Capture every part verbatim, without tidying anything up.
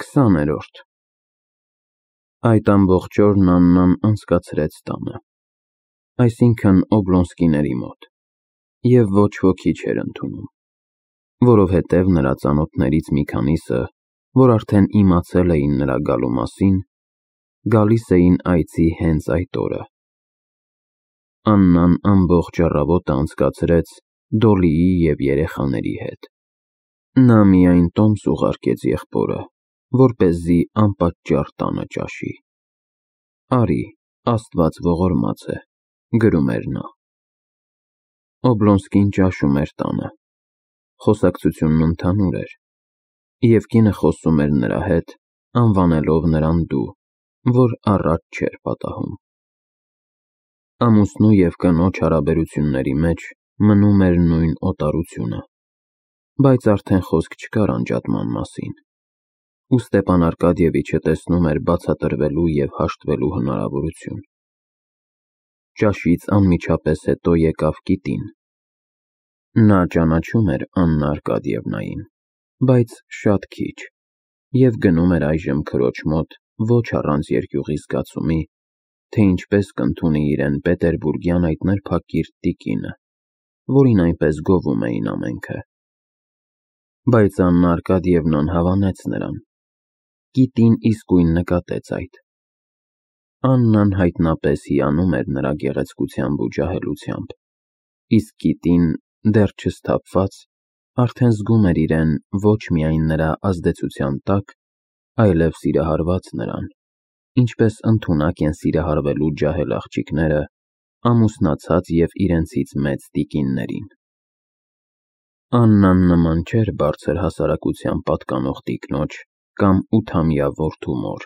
Քսաներորդ Այդ ամբողջ օրն Աննան անցկացրեց տանը, այսինքն Օբլոնսկիների մոտ, և ոչ ոքի չէր ընդունում, որովհետև նրա ծանոթներից մի քանիսը, որ արդեն իմացել էին նրա գալու մասին, գալիս էին այցի հենց այդ օրը։ Աննան ամբողջ առավոտը անցկացրեց Դոլիի և երեխաների հետ։ Նա միայն տոմս ուղարկեց եղբորը, որպեսզի անպատճառ տանը ճաշի։ «Արի, Աստված ողորմած է», գրում էր նա։ Օբլոնսկին ճաշում էր տանը, խոսակցությունն ընդհանուր էր, և կինը խոսում էր նրա հետ, անվանելով նրան դու, որ առաջ չէր պատահում։ Ամուսնու և կնոջ հարաբերությունների մեջ մնում էր նույն օտարությունը, բայց արդեն խոսք չկար անջատման մասին, ու Ստեփան Արկադիևիչը տեսնում էր բացատրվելու և հաշտվելու հնարավորություն։ Ճաշից անմիջապես հետո եկավ Կիտին։ Նա ճանաչում էր Աննա Արկադիևնային, բայց շատ քիչ, և գնում էր այժմ քրոջ մոտ ոչ առանց երկյուղի զգացումի, թե ինչպես կընդունի իրեն պետերբուրգյան այդ նրբակիրթ տիկինը, որին այնպես գովում էին ամենքը։ Բայց Աննա Արկադիևնան հավանեց նրան։ Կիտին իսկույն նկատեց այդ։ Աննան հայտնապես հիանում էր նրա գեղեցկությամբ ու ջահելությամբ, իսկ Կիտին, դեռ չսթափված, արդեն զգում էր իրեն ոչ միայն նրա ազդեցության տակ, այլև սիրահարված նրան, ինչպես ընդունակ են սիրահարվելու ջահել աղջիկները ամուսնացած և իրենցից մեծ տիկիններին։ Աննան նման չէր բարձր հասարակության պատկանող տիկնոջ կամ ութամյա որդու մոր։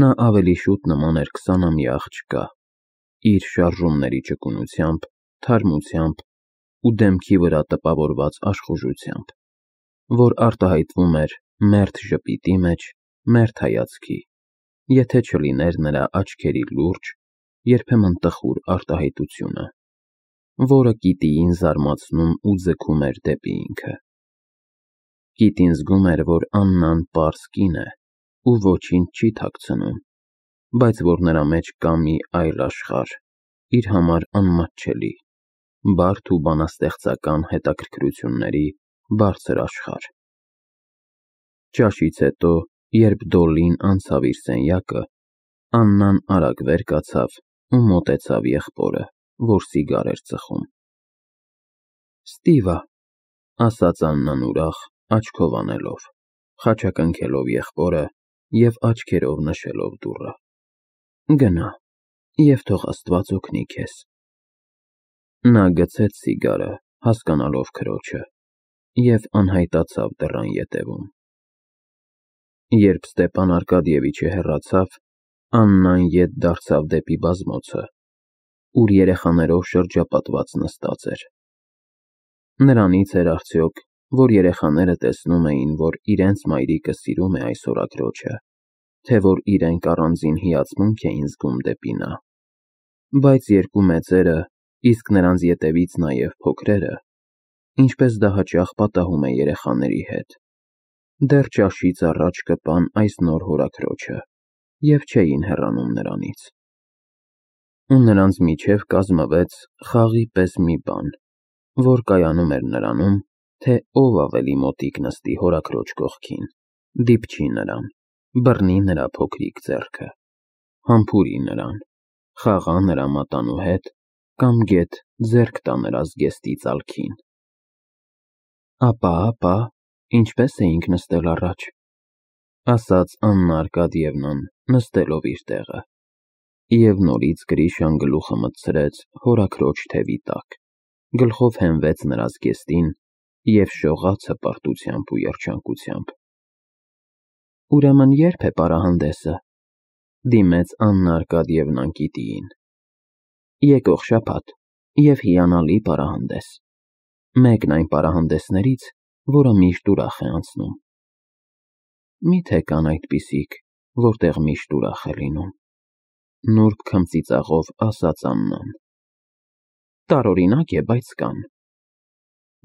Նա ավելի շուտ նման էր քսանամյա աղջկա, իր շարժումների ճկունությամբ, թարմությամբ ու դեմքի վրա տպավորված աշխուժությամբ, որ արտահայտվում էր մերթ ժպիտի մեջ, մերթ հայացքի, եթե չլիներ նրա աչքերի լուրջ, երբեմն տխուր արտահայտությունը, որը Կիտիին զարմացնում ու ձգում էր դեպի ինքը։ Կիտին զգում էր, որ Աննան պարզ կին է ու ոչինչ չի թաքցնում, բայց որ նրա մեջ կա մի այլ աշխարհ, իր համար անմատչելի, բարդ ու բանաստեղծական հետաքրքրությունների բարձր աշխարհ։ Ճաշից հետո, երբ Դոլլին անցավ իր սենյակը, Աննան արագ վեր կացավ ու մոտեցավ եղբորը, որ սիգար էր ծխում։ Ստիվա, ասաց Աննան ուրախ, աչքով անելով, խաչակնքելով եղբորը և աչքերով նշելով դուռը։ Գնա, և թող Աստված օգնի քեզ։ Նա գցեց սիգարը, հասկանալով քրոջը, և անհայտացավ դռան ետևում։ Երբ Ստեփան Արկադիևիչը հեռացավ, Աննան ետ դարձավ դեպի բազմոցը, ուր երեխաներով շրջապատված նստած էր։ Նրանից էր արդյոք, որ երեխաները տեսնում էին, որ իրենց մայրիկը սիրում է այս օրաքրոջը, թե որ իրենք առանձին հիացմունք էին զգում դեպի նա։ Բայց երկու մեծերը, իսկ նրանց ետևից նաև փոքրերը, ինչպես դա հաճախ պատահում է երեխաների հետ, դեռ ճաշից առաջ կպան այս նոր հորաքրոջը և չէին հեռանում նրանից։ Ու նրանց միջև կազմվեց խաղի պես մի բան, որ կայանում էր նրանում, թե ով ավելի մոտիկ նստի հորաքրոջ կողքին, դիպչի նրան, բռնի նրա փոքրիկ ձեռքը, համբուրի նրան, խաղա նրա մատանու հետ կամ գեթ ձեռք տա նրա զգեստի ծալքին։ Ապա, ապա, ինչպե՞ս էինք նստել առաջ, ասաց Աննա Արկադիևնան, նստելով իր տեղը, և նորից Գրիշան գլուխը մտցրեց հորաքրոջ թևի տակ, գլխով հենվեց նրա զգեստին և շողաց հպարտությամբ ու երջանկությամբ։ Ուրեմն ե՞րբ է պարահանդեսը, դիմեց Աննա Արկադիևնան Կիտիին։ Եկող շաբաթ և հիանալի պարահանդես, մեկն այն պարահանդեսներից, որը միշտ ուրախ է անցնում։ Մի՞թե կան այդպիսիք, որտեղ միշտ ուրախ է լինում, նուրբ քմծիծաղով ասաց Աննան։ Տարօրինակ է, բայց կան։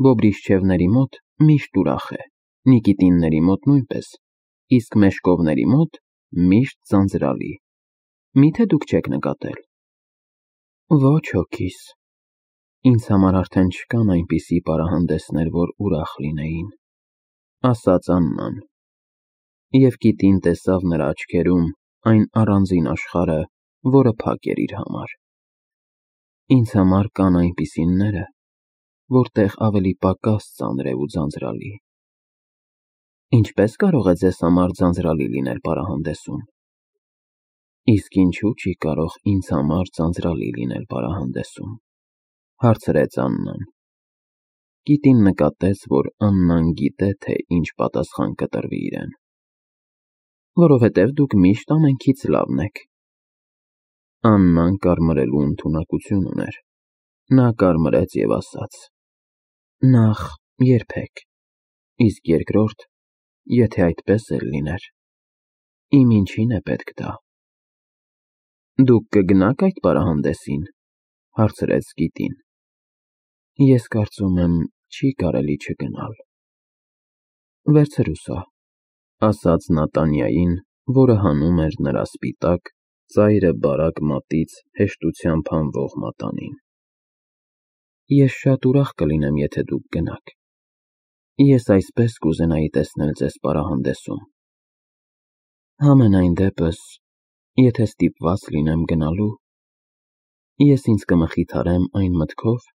Բոբրիշչևների մոտ միշտ ուրախ է, Նիկիտինների մոտ նույնպես, իսկ մեշկովների մոտ միշտ ձանձրալի։ Միթե դուք չեք նկատել։ Ոչ հոգիս, ինձ համար արդեն չկան այնպիսի պարահանդեսներ, որ ուրախ լինեին, ասաց Աննան, և կիտին տեսավ նրա աչքերում այն առանձին աշխարհը, որը փակ էր իր համար։ Ինձ համար կան այնպիսիները, որտեղ ավելի պակաս ծանր է ու ձանձրալի։ Ինչպե՞ս կարող է ձեզ համար ձանձրալի լինել պարահանդեսում։ Իսկ ինչու՞ չի կարող ինձ համար ձանձրալի լինել պարահանդեսում, հարցրեց Աննան։ Կիտին նկատեց, որ Աննան գիտե, թե ինչ պատասխան կտրվի իրեն։ Որովհետև դուք միշտ ամենքից լավն եք։ Աննան կարմրելու ընդունակություն ուներ։ Նա կարմրեց և ասաց. Նախ, երբեք, իսկ երկրորդ, եթե այդպես էլ լիներ, իմ ինչին է պետք դա։ Դուք կգնա՞ք այդ պարահանդեսին, հարցրեց կիտին։ Ես կարծում եմ, չի կարելի չգնալ։ Վերցրու սա, ասաց նա Տանյային, որը հանում էր նրա սպիտակ, ծայրը բարակ մատից հեշտությամբ հանվող մատանին։ Ես շատ ուրախ կլինեմ, եթե դուք գնաք։ Ես այսպես կուզենայի տեսնել ձեզ պարահանդեսում։ Համենայն դեպս, եթե ստիպված լինեմ գնալու, ես ինձ կմխիթարեմ այն մտքով,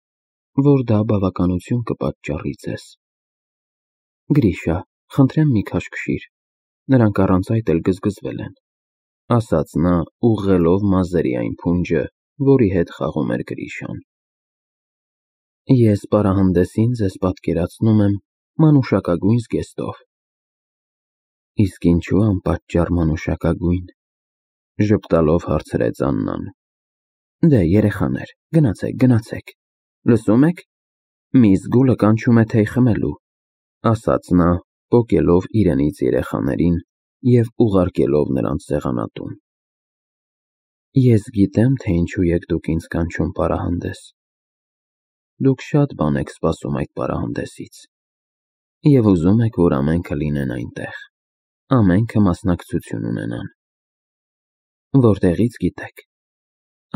որ դա բավականություն կպատճառի ձեզ։ Գրիշա, խնդրեմ մի քաշքշիր, նրանք առանց այդ էլ գզգզվել են, ասաց նա, ուղղելով մազերի այն փունջը, որի հետ խաղում էր Գրիշան։ Ես պարահանդեսին ձեզ պատկերացնում եմ մանուշակագույն զգեստով։ Իսկ ինչու անպատճառ մանուշակագույն, ժպտալով հարցրեց Աննան։ Դե, երեխաներ, գնացեք, գնացեք, լսում եք, մի զգուլը կանչում է թեյ խմելու, ասաց նա, պոկելով իրենից երեխաներին և ուղարկելով նրանց սեղանատուն։ Ես գիտեմ, թե ինչու եք դուք ինձ կանչում պարահանդես։ Դուք շատ բան եք սպասում այդ պարահանդեսից և ուզում եք, որ ամենքը լինեն այնտեղ, ամենքը մասնակցություն ունենան։ Որտեղից գիտեք։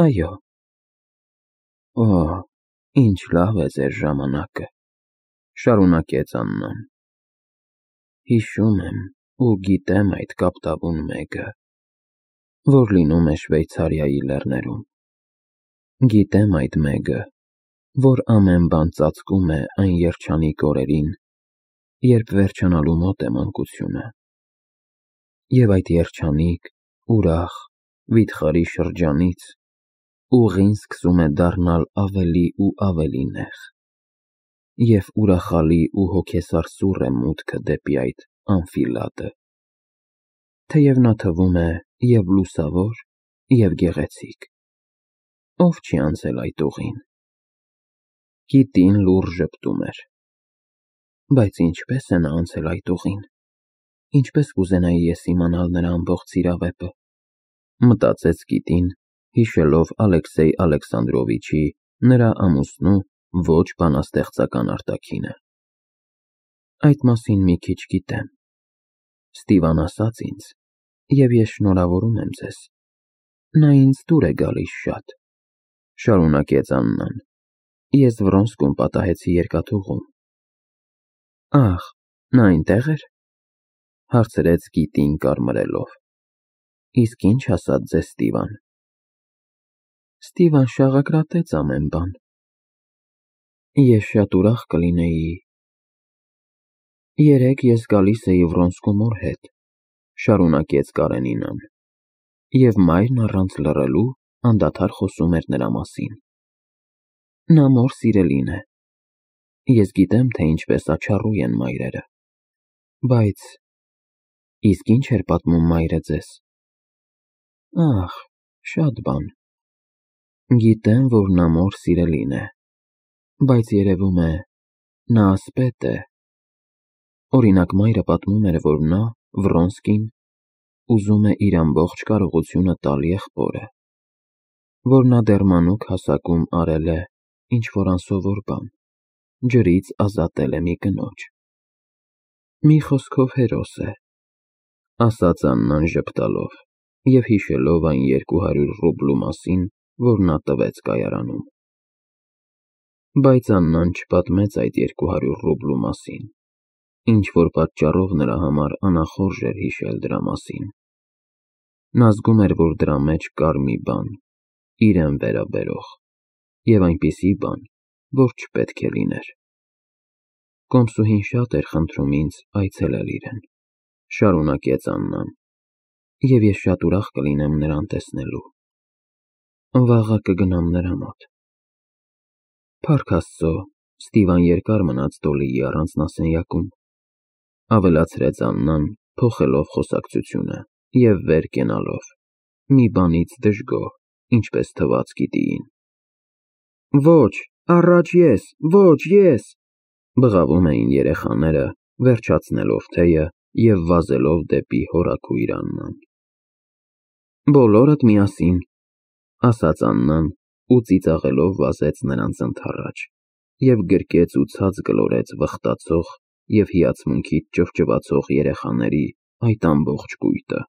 Այո։ Օ, ինչ լավ է ձեր ժամանակը, շարունակեց Աննան։ Հիշում եմ ու գիտեմ այդ կապտավուն մեկը, որ լինում է Շվեյցարիայի լեռներում։ Գիտեմ այդ մեկը, որ ամեն բան ծածկում է այն երջանիկ օրերին, երբ վերջանալու մոտ է մանկությունը։ Եվ այդ երջանիկ, ուրախ, վիթխարի շրջանից ուղին սկսում է դառնալ ավելի ու ավելի նեղ, և ուրախալի ու հոգեսարսուռ է մուտքը դեպի այդ անֆիլադը, թեև նա թվում է և լուսավոր, և գեղեցիկ։ Ով չի անցել այդ ուղին։ Կիտին լուռ ժպտում էր։ Բայց ինչպե՞ս է նա անցել այդ ուղին։ Ինչպես կուզենայի ես իմանալ նրա ամբողջ սիրավեպը, մտածեց կիտին, հիշելով Ալեքսեյ Ալեքսանդրովիչի, նրա ամուսնու ոչ բանաստեղծական արտաքինը։ Այդ մասին մի քիչ գիտեմ։ Ստիվան ասաց ինձ, և ես շնորհավորում եմ ձեզ։ Նա ինձ դուր է գալիս շատ, շարունակեց Աննան։ Ես Վրոնսկում պատահեցի երկաթուղում։ Ահ, նա այնտեղ էր, հարցրեց կիտին կարմրելով։ Իսկ ինչ ասաց ձեզ Ստիվան։ Ստիվան շաղակրատեց ամեն բան։ Ես շատ ուրախ կլինեի։ Երեկ ես գալիս էի Վրոնսկու մոր հետ, շարունակեց Կարենինան, և մայրն առանց լռելու անդադար խոսում էր նրա մասին։ Նա մոր սիրելին է։ Ես գիտեմ, թե ինչպես աչառու են մայրերը։ Բայց իսկ ինչ էր պատմում մայրը ձեզ։ Ահ, շատ բան։ Գիտեմ, որ նա մոր սիրելին է, բայց երևում է, նա ասպետ է։ Օրինակ, մայրը պատմում էր, որ նա, Վրոնսկին, ուզում է իր ամբողջ կարողությունը տալ եղբորը, որ նա դեռ մանուկ հասակում արել է ինչ-որ անսովոր բան, ջրից ազատել է մի կնոջ։ Մի խոսքով հերոս է։ ասաց Աննան ժպտալով և հիշելով այն երկու հարյուր ռուբլու մասին, որ նա տվեց կայարանում։ Բայց Աննան չպատմեց այդ երկու հարյուր ռուբլու մասին, ինչ-որ պատճառով նրա համար անախորժ էր հիշել դրա մասին։ Նա զգում էր, որ դրա մեջ կար մի բան, իրեն վերաբերող, և այնպիսի բան, որ չպետք է լիներ։ Կոմսուհին շատ էր խնդրում ինձ այցելել իրեն, շարունակեց Աննան, և ես շատ ուրախ կլինեմ նրան տեսնելու։ Վաղը կգնամ նրա մոտ։ Փառք Աստծո, Ստիվան երկար մնաց Դոլիի առանձնասենյակում, ավելացրեց Աննան, փոխելով խոսակցությունը և վեր կենալով, մի բանից դժգոհ, ինչպես թվաց գիտիին։ Ոչ, առաջ ես, ոչ ես, բղավում էին երեխաները, վերջացնելով թեյը և վազելով դեպի հորաքույր Աննան։ Բոլորդ միասին, ասաց Աննան ու ծիծաղելով վազեց նրանց ընդառաջ և գրկեց ու ցած գլորեց վխտացող և հիացմունքից ճվճվացող երեխաների այդ ամբողջ կույտը։